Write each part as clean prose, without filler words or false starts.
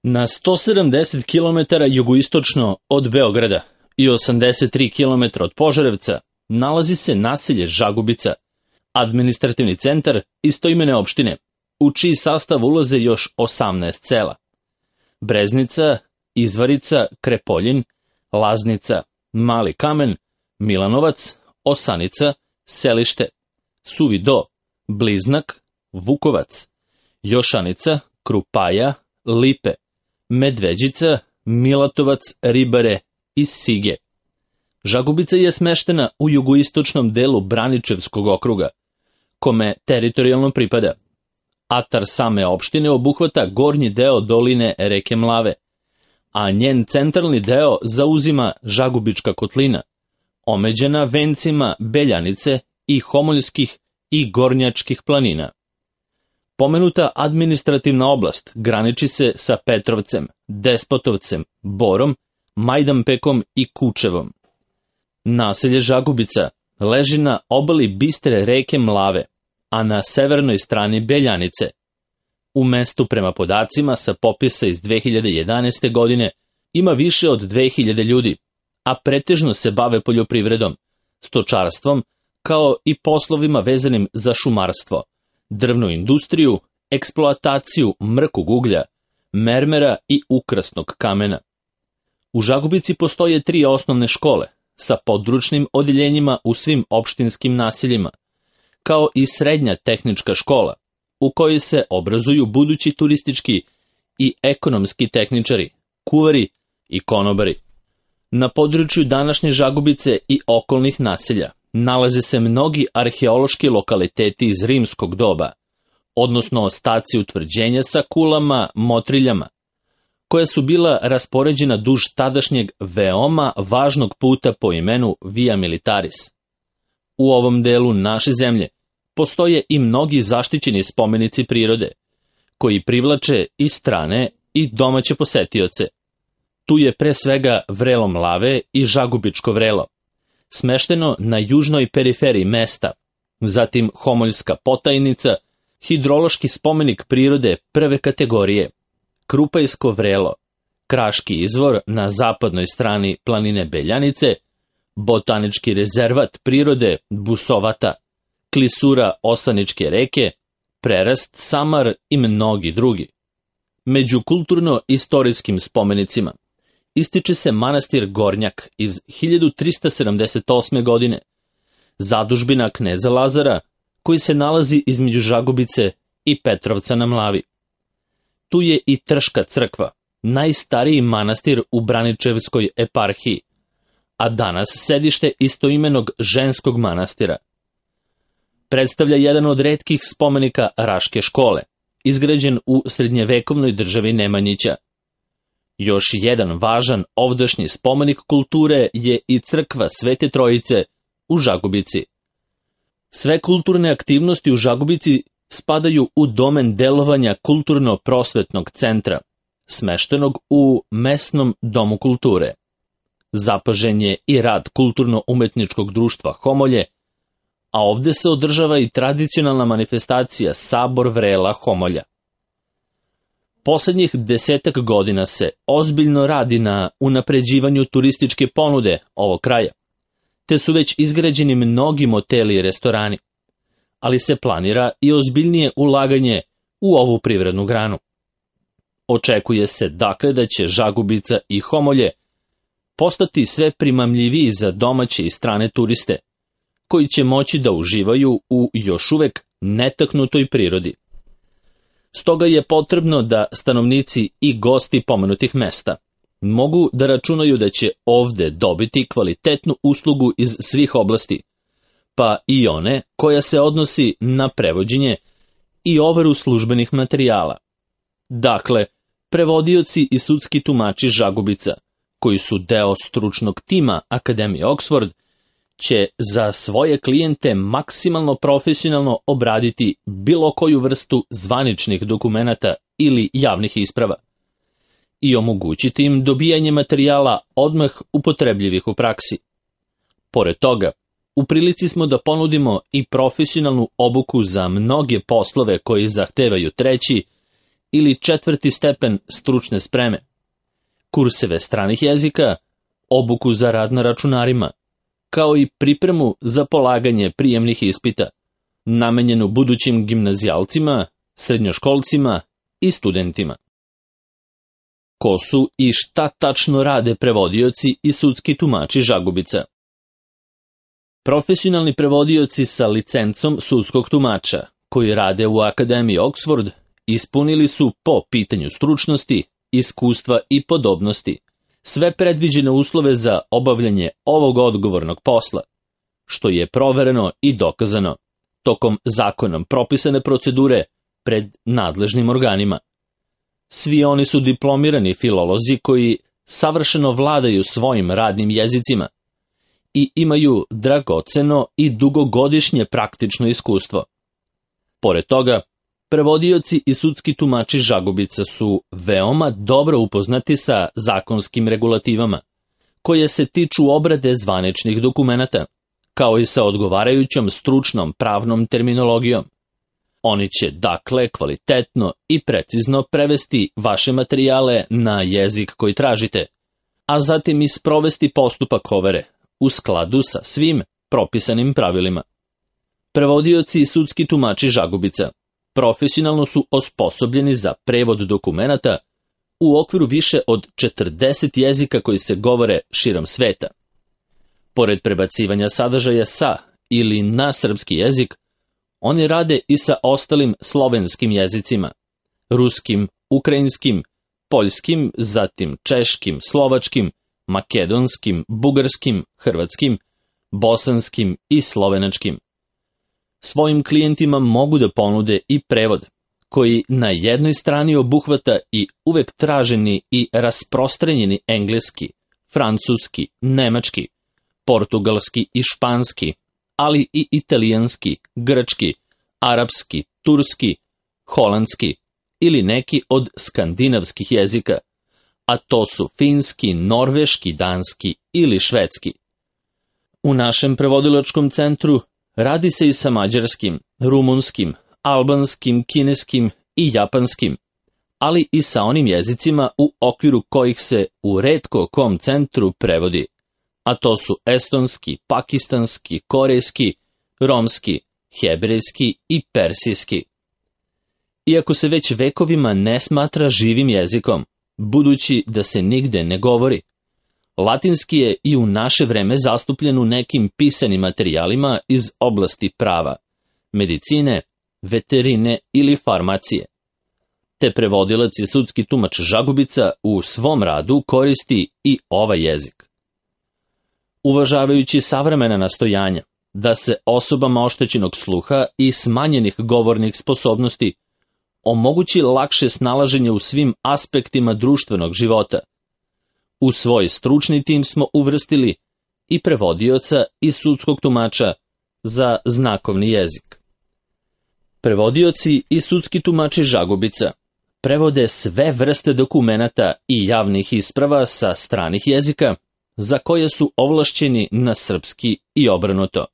Na 170 km jugoistočno od Beograda i 83 km od Požarevca nalazi se naselje Žagubica, administrativni centar istoimene opštine, u čiji sastav ulaze još 18 sela: Breznica, Izvarica, Krepoljin, Laznica, Mali Kamen, Milanovac, Osanica, Selište, Suvi Do, Bliznak, Vukovac, Jošanica, Krupaja, Lipe, Medveđica, Milatovac, Ribare i Sige. Žagubica je smeštena u jugoistočnom delu Braničevskog okruga, kome teritorijalno pripada. Atar same opštine obuhvata gornji deo doline reke Mlave, a njen centralni deo zauzima Žagubička kotlina, omeđena vencima Beljanice i Homoljskih i Gornjačkih planina. Pomenuta administrativna oblast graniči se sa Petrovcem, Despotovcem, Borom, Majdanpekom i Kučevom. Naselje Žagubica leži na obali bistre reke Mlave, a na severnoj strani Beljanice. U mestu, prema podacima sa popisa iz 2011. godine, ima više od 2000 ljudi, a pretežno se bave poljoprivredom, stočarstvom, kao i poslovima vezanim za šumarstvo, drvnu industriju, eksploataciju mrkog uglja, mermera i ukrasnog kamena. U Žagubici postoje 3 osnovne škole, sa područnim odeljenjima u svim opštinskim naseljima, kao i srednja tehnička škola, u kojoj se obrazuju budući turistički i ekonomski tehničari, kuvari i konobari. Na području današnje Žagubice i okolnih naselja nalaze se mnogi arheološki lokaliteti iz rimskog doba, odnosno ostaci utvrđenja sa kulama, motriljama, koja su bila raspoređena duž tadašnjeg veoma važnog puta po imenu Via Militaris. U ovom delu naše zemlje postoje i mnogi zaštićeni spomenici prirode, koji privlače i strane i domaće posetioce. Tu je pre svega vrelo Mlave i Žagubičko vrelo, smešteno na južnoj periferiji mesta, zatim Homoljska potajnica, hidrološki spomenik prirode prve kategorije, Krupajsko vrelo, Kraški izvor na zapadnoj strani planine Beljanice, botanički rezervat prirode Busovata, klisura Osaničke reke, prerast Samar i mnogi drugi. Među kulturno-istorijskim spomenicima ističe se manastir Gornjak iz 1378. godine, zadužbina kneza Lazara, koji se nalazi između Žagubice i Petrovca na Mlavi. Tu je i Trška crkva, najstariji manastir u Braničevskoj eparhiji, a danas sedište istoimenog ženskog manastira. Predstavlja jedan od retkih spomenika Raške škole, izgrađen u srednjevekovnoj državi Nemanjića. Još jedan važan ovdašnji spomenik kulture je i crkva Svete Trojice u Žagubici. Sve kulturne aktivnosti u Žagubici spadaju u domen delovanja kulturno-prosvetnog centra, smeštenog u mesnom domu kulture. Zapažen je i rad kulturno-umetničkog društva Homolje, a ovde se održava i tradicionalna manifestacija Sabor vrela Homolja. Poslednjih 10 godina se ozbiljno radi na unapređivanju turističke ponude ovog kraja, te su već izgrađeni mnogi moteli i restorani, ali se planira i ozbiljnije ulaganje u ovu privrednu granu. Očekuje se dakle da će Žagubica i Homolje postati sve primamljiviji za domaće i strane turiste, koji će moći da uživaju u još uvek netaknutoj prirodi. Stoga je potrebno da stanovnici i gosti pomenutih mesta mogu da računaju da će ovde dobiti kvalitetnu uslugu iz svih oblasti, pa i one koja se odnosi na prevođenje i overu službenih materijala. Dakle, prevodioci i sudski tumači Žagubica, koji su deo stručnog tima Akademije Oxford, će za svoje klijente maksimalno profesionalno obraditi bilo koju vrstu zvaničnih dokumenata ili javnih isprava i omogućiti im dobijanje materijala odmah upotrebljivih u praksi. Pored toga, u prilici smo da ponudimo i profesionalnu obuku za mnoge poslove koji zahtevaju treći ili 4. stepen stručne spreme, kurseve stranih jezika, obuku za rad na računarima, kao i pripremu za polaganje prijemnih ispita, namenjenu budućim gimnazijalcima, srednjoškolcima i studentima. Ko su i šta tačno rade prevodioci i sudski tumači žagubica? Profesionalni prevodioci sa licencom sudskog tumača, koji rade u Akademiji Oxford, ispunili su po pitanju stručnosti, iskustva i podobnosti sve predviđene uslove za obavljanje ovog odgovornog posla, što je provereno i dokazano tokom zakonom propisane procedure pred nadležnim organima. Svi oni su diplomirani filolozi koji savršeno vladaju svojim radnim jezicima i imaju dragoceno i dugogodišnje praktično iskustvo. Pored toga, prevodioci i sudski tumači žagubica su veoma dobro upoznati sa zakonskim regulativama, koje se tiču obrade zvaničnih dokumenata, kao i sa odgovarajućom stručnom pravnom terminologijom. Oni će, dakle, kvalitetno i precizno prevesti vaše materijale na jezik koji tražite, a zatim i sprovesti postupak overe u skladu sa svim propisanim pravilima. Prevodioci i sudski tumači žagubica profesionalno su osposobljeni za prevod dokumenata u okviru više od 40 jezika koji se govore širom sveta. Pored prebacivanja sadržaja sa ili na srpski jezik, oni rade i sa ostalim slovenskim jezicima, ruskim, ukrajinskim, poljskim, zatim češkim, slovačkim, makedonskim, bugarskim, hrvatskim, bosanskim i slovenačkim. Svojim klijentima mogu da ponude i prevod, koji na jednoj strani obuhvata i uvek traženi i rasprostranjeni engleski, francuski, nemački, portugalski i španski, ali i italijanski, grčki, arapski, turski, holandski ili neki od skandinavskih jezika, a to su finski, norveški, danski ili švedski. U našem prevodilačkom centru radi se i sa mađarskim, rumunskim, albanskim, kineskim i japanskim, ali i sa onim jezicima u okviru kojih se u retko kom centru prevodi, a to su estonski, pakistanski, korejski, romski, hebrejski i persijski. Iako se već vekovima ne smatra živim jezikom, budući da se nigde ne govori, latinski je i u naše vreme zastupljen u nekim pisanim materijalima iz oblasti prava, medicine, veterine ili farmacije. Te prevodilac i sudski tumač žagubica u svom radu koristi i ovaj jezik. Uvažavajući savremena nastojanja da se osobama oštećenog sluha i smanjenih govornih sposobnosti omogući lakše snalaženje u svim aspektima društvenog života, u svoj stručni tim smo uvrstili i prevodioca i sudskog tumača za znakovni jezik. Prevodioci i sudski tumači žagubica prevode sve vrste dokumenata i javnih isprava sa stranih jezika za koje su ovlašćeni na srpski i obrnuto,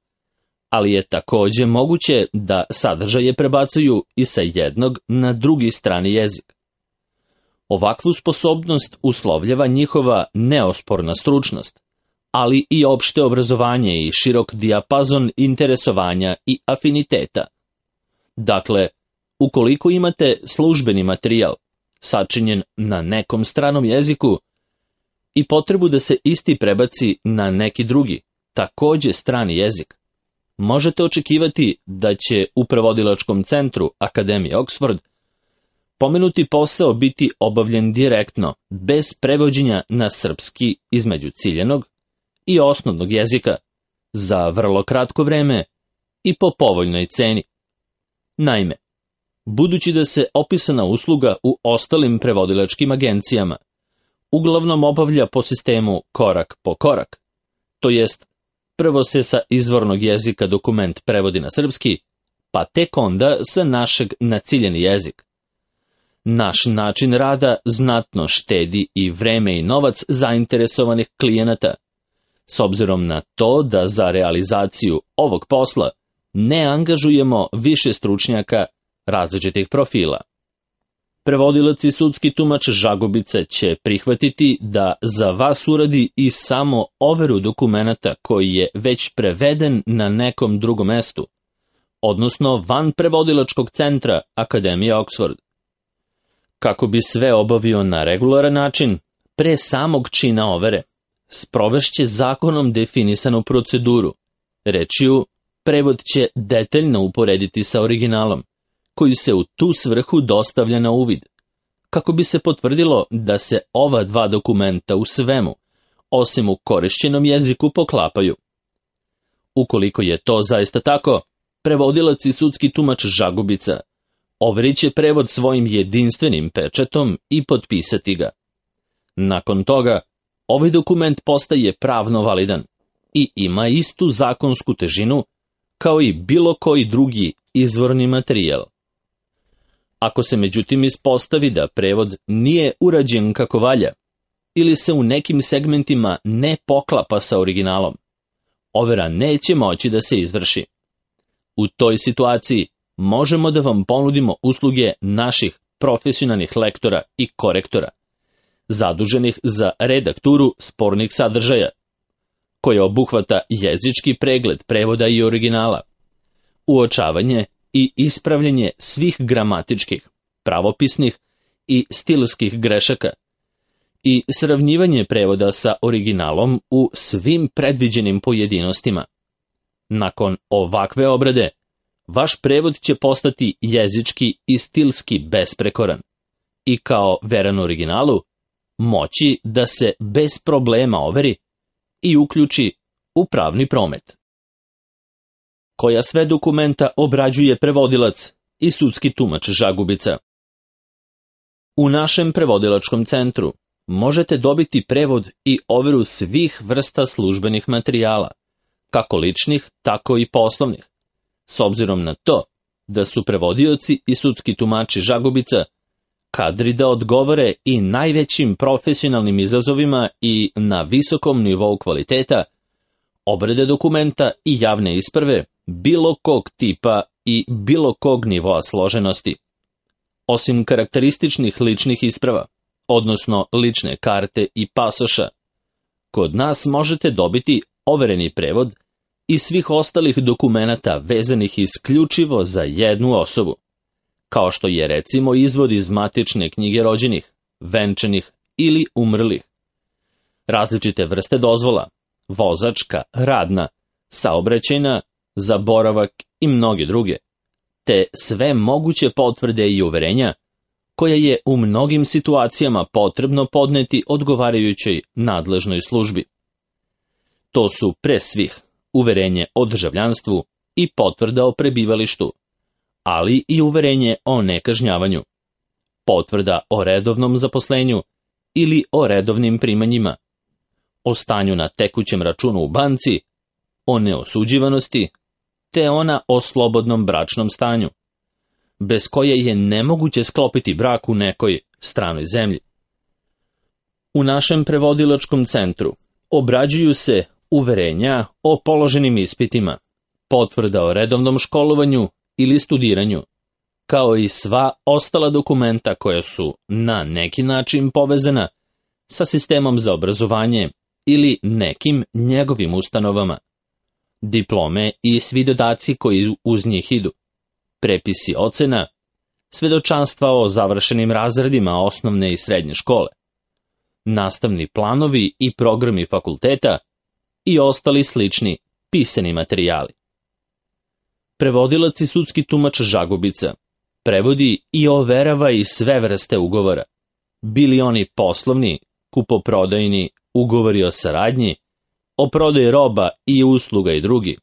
ali je takođe moguće da sadržaje prebacuju i sa jednog na drugi strani jezik. Ovakvu sposobnost uslovljava njihova neosporna stručnost, ali i opšte obrazovanje i širok dijapazon interesovanja i afiniteta. Dakle, ukoliko imate službeni materijal, sačinjen na nekom stranom jeziku, i potrebu da se isti prebaci na neki drugi, takođe strani jezik, možete očekivati da će u prevodilačkom centru Akademije Oxford pomenuti posao biti obavljen direktno, bez prevođenja na srpski između ciljanog i osnovnog jezika, za vrlo kratko vreme i po povoljnoj ceni. Naime, budući da se opisana usluga u ostalim prevodilačkim agencijama uglavnom obavlja po sistemu korak po korak, to jest prvo se sa izvornog jezika dokument prevodi na srpski, pa tek onda sa našeg na ciljeni jezik. Naš način rada znatno štedi i vreme i novac zainteresovanih klijenata, s obzirom na to da za realizaciju ovog posla ne angažujemo više stručnjaka različitih profila. Prevodilac i sudski tumač Žagubica će prihvatiti da za vas uradi i samo overu dokumenata koji je već preveden na nekom drugom mestu, odnosno van prevodilačkog centra Akademije Oxford. Kako bi sve obavio na regularan način, pre samog čina overe, sprovešće zakonom definisanu proceduru. Rečju, prevod će detaljno uporediti sa originalom, koji se u tu svrhu dostavlja na uvid, kako bi se potvrdilo da se ova dva dokumenta u svemu, osim u korišćenom jeziku, poklapaju. Ukoliko je to zaista tako, prevodilac i sudski tumač Žagubica overit će prevod svojim jedinstvenim pečatom i potpisati ga. Nakon toga, ovaj dokument postaje pravno validan i ima istu zakonsku težinu kao i bilo koji drugi izvorni materijal. Ako se međutim ispostavi da prevod nije urađen kako valja ili se u nekim segmentima ne poklapa sa originalom, overa neće moći da se izvrši. U toj situaciji možemo da vam ponudimo usluge naših profesionalnih lektora i korektora, zaduženih za redakturu spornih sadržaja, koja obuhvata jezički pregled prevoda i originala, uočavanje i ispravljanje svih gramatičkih, pravopisnih i stilskih grešaka i sravnjivanje prevoda sa originalom u svim predviđenim pojedinostima. Nakon ovakve obrade, vaš prevod će postati jezički i stilski besprekoran i kao veran originalu moći da se bez problema overi i uključi u pravni promet. Koja sve dokumenta obrađuje prevodilac i sudski tumač Žagubica? U našem prevodilačkom centru možete dobiti prevod i overu svih vrsta službenih materijala, kako ličnih, tako i poslovnih, s obzirom na to da su prevodioci i sudski tumači Žagubica kadri da odgovore i najvećim profesionalnim izazovima i na visokom nivou kvaliteta, obrade dokumenta i javne isprave bilo kog tipa i bilo kog nivoa složenosti. Osim karakterističnih ličnih isprava, odnosno lične karte i pasoša, kod nas možete dobiti overeni prevod i svih ostalih dokumenata vezanih isključivo za jednu osobu, kao što je recimo izvod iz matične knjige rođenih, venčanih ili umrlih, različite vrste dozvola, vozačka, radna, saobraćajna, za boravak i mnoge druge, te sve moguće potvrde i uverenja koje je u mnogim situacijama potrebno podneti odgovarajućoj nadležnoj službi. To su pre svih uverenje o državljanstvu i potvrda o prebivalištu, ali i uverenje o nekažnjavanju, potvrda o redovnom zaposlenju ili o redovnim primanjima, o stanju na tekućem računu u banci, o neosuđivanosti, te ona o slobodnom bračnom stanju, bez koje je nemoguće sklopiti brak u nekoj stranoj zemlji. U našem prevodilačkom centru obrađuju se uverenja o položenim ispitima, potvrda o redovnom školovanju ili studiranju, kao i sva ostala dokumenta koja su na neki način povezana sa sistemom za obrazovanje ili nekim njegovim ustanovama, diplome i svi dodaci koji uz njih idu, prepisi ocena, svedočanstva o završenim razredima osnovne i srednje škole, nastavni planovi i programi fakulteta i ostali slični pisani materijali. Prevodilac i sudski tumač Žagubica prevodi i overava i sve vrste ugovora, bili oni poslovni, kupoprodajni, ugovori o saradnji, o prodaji roba i usluga i drugi,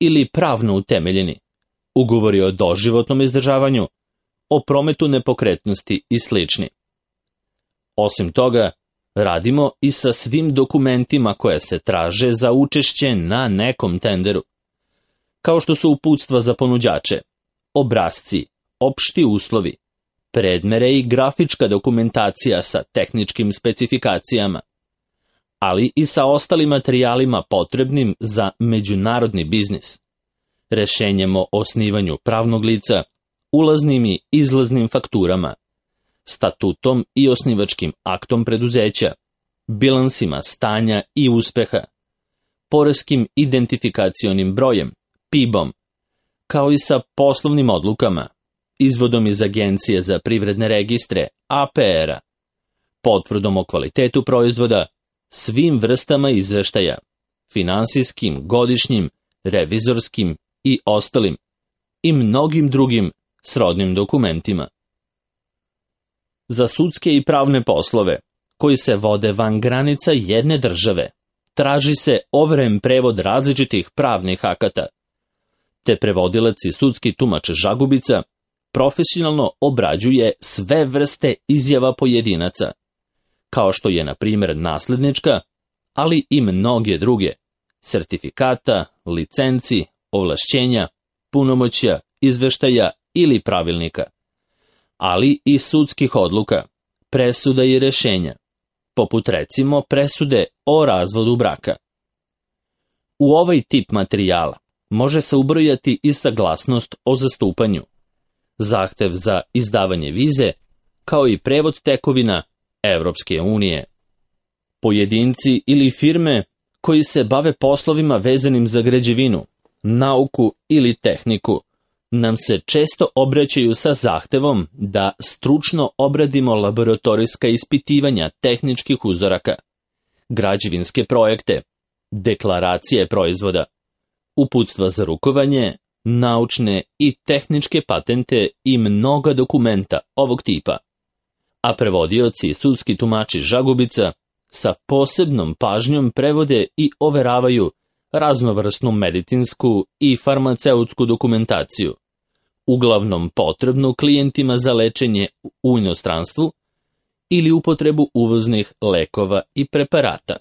ili pravno utemeljeni, ugovori o doživotnom izdržavanju, o prometu nepokretnosti i slični. Osim toga, radimo i sa svim dokumentima koje se traže za učešće na nekom tenderu, kao što su uputstva za ponuđače, obrasci, opšti uslovi, predmere i grafička dokumentacija sa tehničkim specifikacijama, ali i sa ostalim materijalima potrebnim za međunarodni biznis, rešenjem o osnivanju pravnog lica, ulaznim i izlaznim fakturama, statutom i osnivačkim aktom preduzeća, bilansima stanja i uspeha, poreskim identifikacionim brojem, PIB-om, kao i sa poslovnim odlukama, izvodom iz Agencije za privredne registre, APR-a, potvrdom o kvalitetu proizvoda, svim vrstama izveštaja, finansijskim, godišnjim, revizorskim i ostalim, i mnogim drugim srodnim dokumentima. Za sudske i pravne poslove, koji se vode van granica jedne države, traži se overen prevod različitih pravnih akata, te prevodilac i sudski tumač žagubica profesionalno obrađuje sve vrste izjava pojedinaca, kao što je, na primjer, naslednička, ali i mnoge druge, sertifikata, licenci, ovlašćenja, punomoćja, izveštaja ili pravilnika, ali i sudskih odluka, presuda i rešenja, poput recimo presude o razvodu braka. U ovaj tip materijala može se ubrojati i saglasnost o zastupanju, zahtev za izdavanje vize, kao i prevod tekovina Evropske unije. Pojedinci ili firme koji se bave poslovima vezanim za građevinu, nauku ili tehniku, nam se često obraćaju sa zahtevom da stručno obradimo laboratorijska ispitivanja tehničkih uzoraka, građevinske projekte, deklaracije proizvoda, uputstva za rukovanje, naučne i tehničke patente i mnoga dokumenta ovog tipa, a prevodioci i sudski tumači žagubica sa posebnom pažnjom prevode i overavaju raznovrsnu medicinsku i farmaceutsku dokumentaciju, uglavnom potrebnu klijentima za lečenje u inostranstvu ili upotrebu uvoznih lekova i preparata.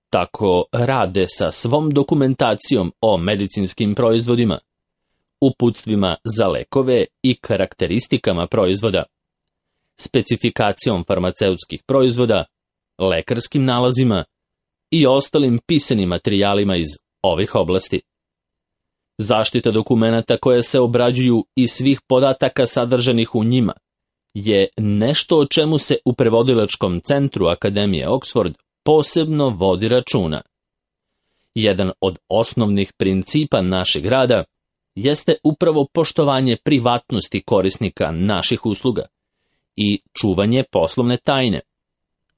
Tako rade sa svom dokumentacijom o medicinskim proizvodima, uputstvima za lekove i karakteristikama proizvoda, specifikacijom farmaceutskih proizvoda, lekarskim nalazima i ostalim pisanim materijalima iz ovih oblasti. Zaštita dokumenata koja se obrađuju i svih podataka sadržanih u njima je nešto o čemu se u prevodilačkom centru Akademije Oxford posebno vodi računa. Jedan od osnovnih principa našeg rada jeste upravo poštovanje privatnosti korisnika naših usluga i čuvanje poslovne tajne.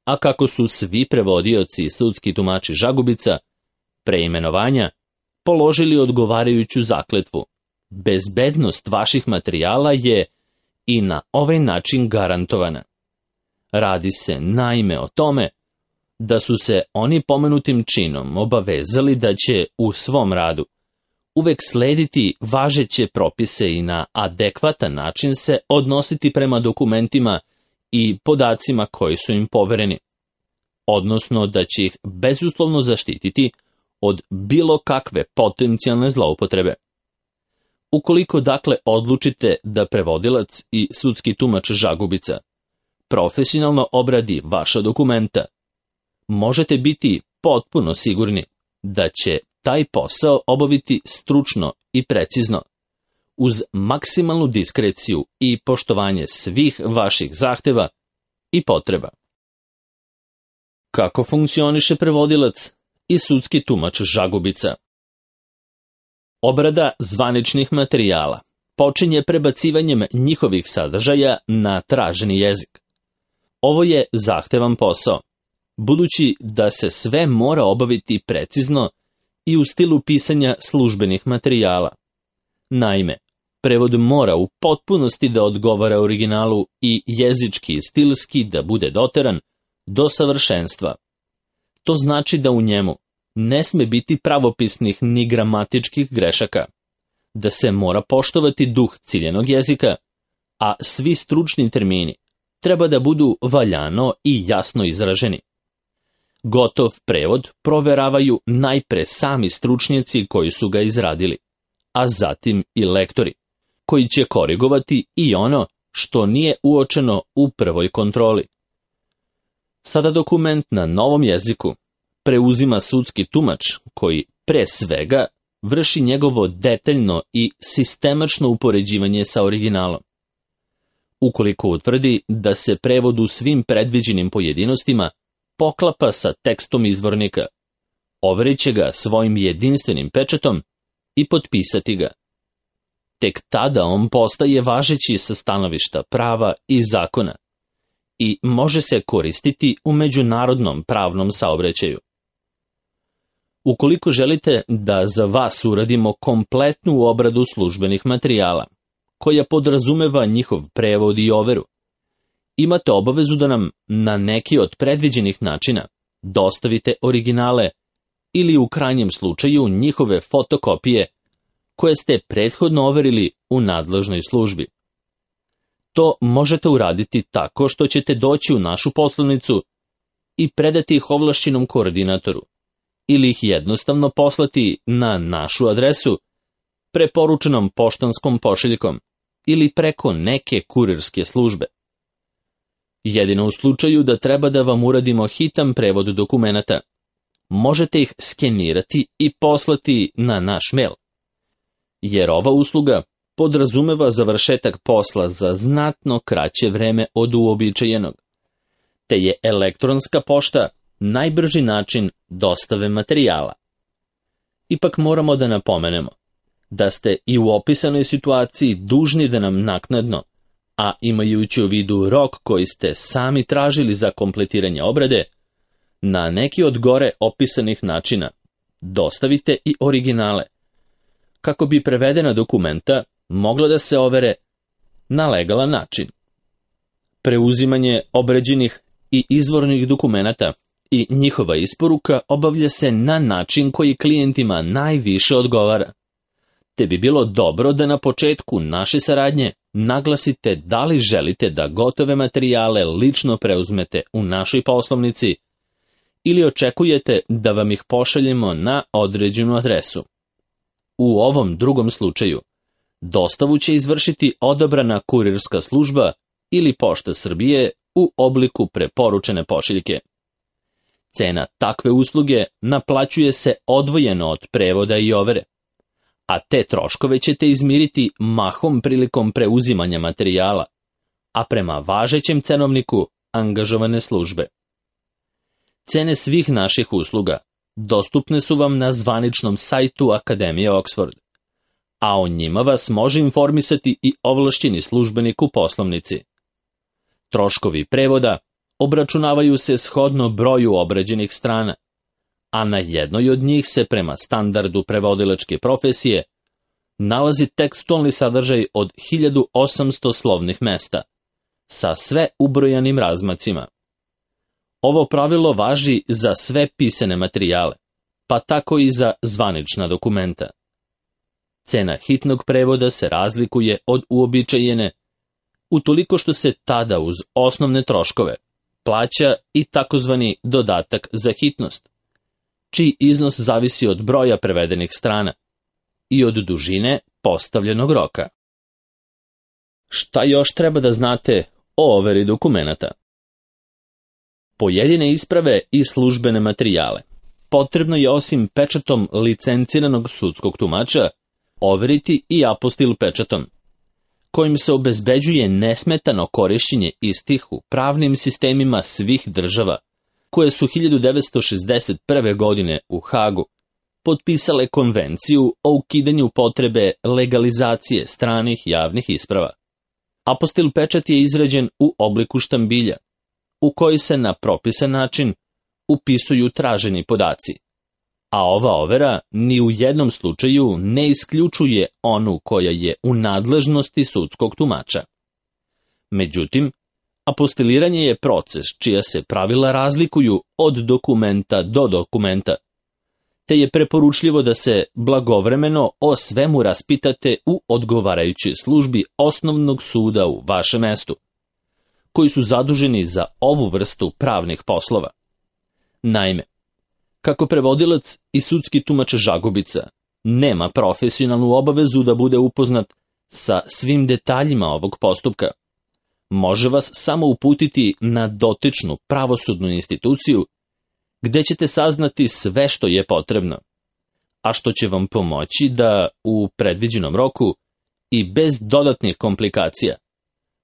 A kako su svi prevodioci i sudski tumači žagubica preimenovanja položili odgovarajuću zakletvu, bezbednost vaših materijala je i na ovaj način garantovana. Radi se naime o tome da su se oni pomenutim činom obavezali da će u svom radu uvek slediti važeće propise i na adekvatan način se odnositi prema dokumentima i podacima koji su im povereni, odnosno da će ih bezuslovno zaštititi od bilo kakve potencijalne zloupotrebe. Ukoliko dakle odlučite da prevodilac i sudski tumač žagubica profesionalno obradi vaša dokumenta, možete biti potpuno sigurni da će taj posao obaviti stručno i precizno, uz maksimalnu diskreciju i poštovanje svih vaših zahteva i potreba. Kako funkcioniše prevodilac i sudski tumač žagubica? Obrada zvaničnih materijala počinje prebacivanjem njihovih sadržaja na traženi jezik. Ovo je zahtevan posao, budući da se sve mora obaviti precizno i u stilu pisanja službenih materijala. Naime, prevod mora u potpunosti da odgovara originalu i jezički i stilski da bude doteran do savršenstva. To znači da u njemu ne sme biti pravopisnih ni gramatičkih grešaka, da se mora poštovati duh ciljenog jezika, a svi stručni termini treba da budu valjano i jasno izraženi. Gotov prevod proveravaju najpre sami stručnjaci koji su ga izradili, a zatim i lektori, koji će korigovati i ono što nije uočeno u prvoj kontroli. Sada dokument na novom jeziku preuzima sudski tumač koji pre svega vrši njegovo detaljno i sistemačno upoređivanje sa originalom. ukoliko utvrdi da se prevod u svim predviđenim pojedinostima poklapa sa tekstom izvornika. Overit će ga svojim jedinstvenim pečatom i potpisati ga. Tek tada on postaje važeći sa stanovišta prava i zakona i može se koristiti u međunarodnom pravnom saobraćaju. Ukoliko želite da za vas uradimo kompletnu obradu službenih materijala, koja podrazumeva njihov prevod i overu, imate obavezu da nam na neki od predviđenih načina dostavite originale ili u krajnjem slučaju njihove fotokopije koje ste prethodno overili u nadležnoj službi. To možete uraditi tako što ćete doći u našu poslovnicu i predati ih ovlašćenom koordinatoru ili ih jednostavno poslati na našu adresu preporučenom poštanskom pošiljkom ili preko neke kurirske službe. Jedino u slučaju da treba da vam uradimo hitan prevod dokumenata, možete ih skenirati i poslati na naš mail, jer ova usluga podrazumeva završetak posla za znatno kraće vreme od uobičajenog, te je elektronska pošta najbrži način dostave materijala. Ipak moramo da napomenemo da ste i u opisanoj situaciji dužni da nam naknadno, a imajući u vidu rok koji ste sami tražili za kompletiranje obrade, na neki od gore opisanih načina dostavite i originale, kako bi prevedena dokumenta mogla da se overe na legalan način. Preuzimanje obrađenih i izvornih dokumenata i njihova isporuka obavlja se na način koji klijentima najviše odgovara, te bi bilo dobro da na početku naše saradnje naglasite da li želite da gotove materijale lično preuzmete u našoj poslovnici ili očekujete da vam ih pošaljemo na određenu adresu. U ovom drugom slučaju, dostavu će izvršiti odabrana kurirska služba ili Pošta Srbije u obliku preporučene pošiljke. Cena takve usluge naplaćuje se odvojeno od prevoda i overe, a te troškove ćete izmiriti mahom prilikom preuzimanja materijala, a prema važećem cenovniku angažovane službe. Cene svih naših usluga dostupne su vam na zvaničnom sajtu Akademije Oxford, a o njima vas može informisati i ovlašćeni službenik u poslovnici. Troškovi prevoda obračunavaju se shodno broju obrađenih strana, a na jednoj od njih se prema standardu prevodilačke profesije nalazi tekstualni sadržaj od 1800 slovnih mesta, sa sve ubrojanim razmacima. Ovo pravilo važi za sve pisane materijale, pa tako i za zvanična dokumenta. Cena hitnog prevoda se razlikuje od uobičajene, utoliko što se tada uz osnovne troškove plaća i takozvani dodatak za hitnost, čiji iznos zavisi od broja prevedenih strana i od dužine postavljenog roka. Šta još treba da znate o overi dokumenata? Pojedine isprave i službene materijale potrebno je osim pečatom licenciranog sudskog tumača overiti i apostil pečatom, kojim se obezbeđuje nesmetano korišćenje istih u pravnim sistemima svih država, koje su 1961. godine u Hagu potpisale konvenciju o ukidanju potrebe legalizacije stranih javnih isprava. Apostil pečat je izrađen u obliku štambilja, u koji se na propisan način upisuju traženi podaci, a ova overa ni u jednom slučaju ne isključuje onu koja je u nadležnosti sudskog tumača. Međutim, apostiliranje je proces čija se pravila razlikuju od dokumenta do dokumenta, te je preporučljivo da se blagovremeno o svemu raspitate u odgovarajućoj službi osnovnog suda u vašem mestu, koji su zaduženi za ovu vrstu pravnih poslova. Naime, kako prevodilac i sudski tumač žagubica nema profesionalnu obavezu da bude upoznat sa svim detaljima ovog postupka, može vas samo uputiti na dotičnu pravosudnu instituciju gde ćete saznati sve što je potrebno, a što će vam pomoći da u predviđenom roku i bez dodatnih komplikacija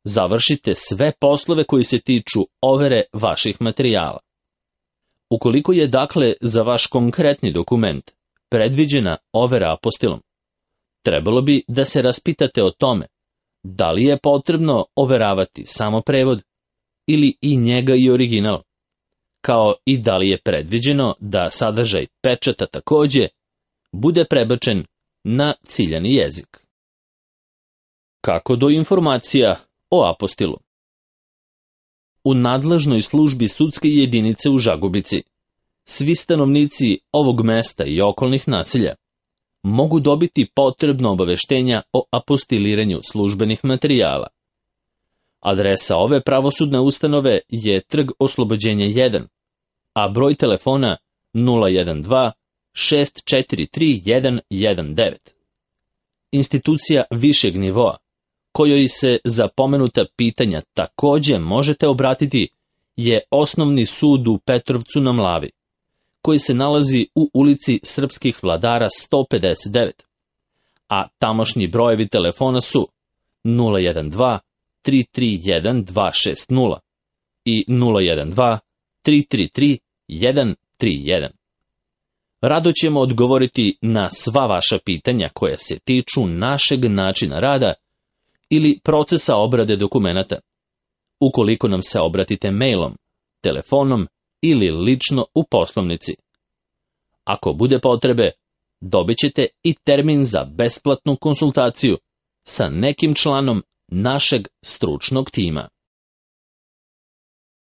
završite sve poslove koji se tiču overe vaših materijala. Ukoliko je dakle za vaš konkretni dokument predviđena overa apostilom, trebalo bi da se raspitate o tome da li je potrebno overavati samo prevod ili i njega i original, kao i da li je predviđeno da sadržaj pečata takođe bude prebačen na ciljani jezik. Kako do informacija o apostilu? U nadležnoj službi sudske jedinice u Žagubici svi stanovnici ovog mesta i okolnih naselja mogu dobiti potrebno obaveštenja o apostiliranju službenih materijala. Adresa ove pravosudne ustanove je Trg Oslobođenja 1, a broj telefona 012 643 119. Institucija višeg nivoa, kojoj se za pomenuta pitanja takođe možete obratiti, je Osnovni sud u Petrovcu na Mlavi, koji se nalazi u ulici Srpskih vladara 159, a tamošnji brojevi telefona su 012 331 260 i 012 333 131. Rado ćemo odgovoriti na sva vaša pitanja koja se tiču našeg načina rada ili procesa obrade dokumenata, ukoliko nam se obratite mailom, telefonom ili lično u poslovnici. Ako bude potrebe, dobit ćete i termin za besplatnu konsultaciju sa nekim članom našeg stručnog tima.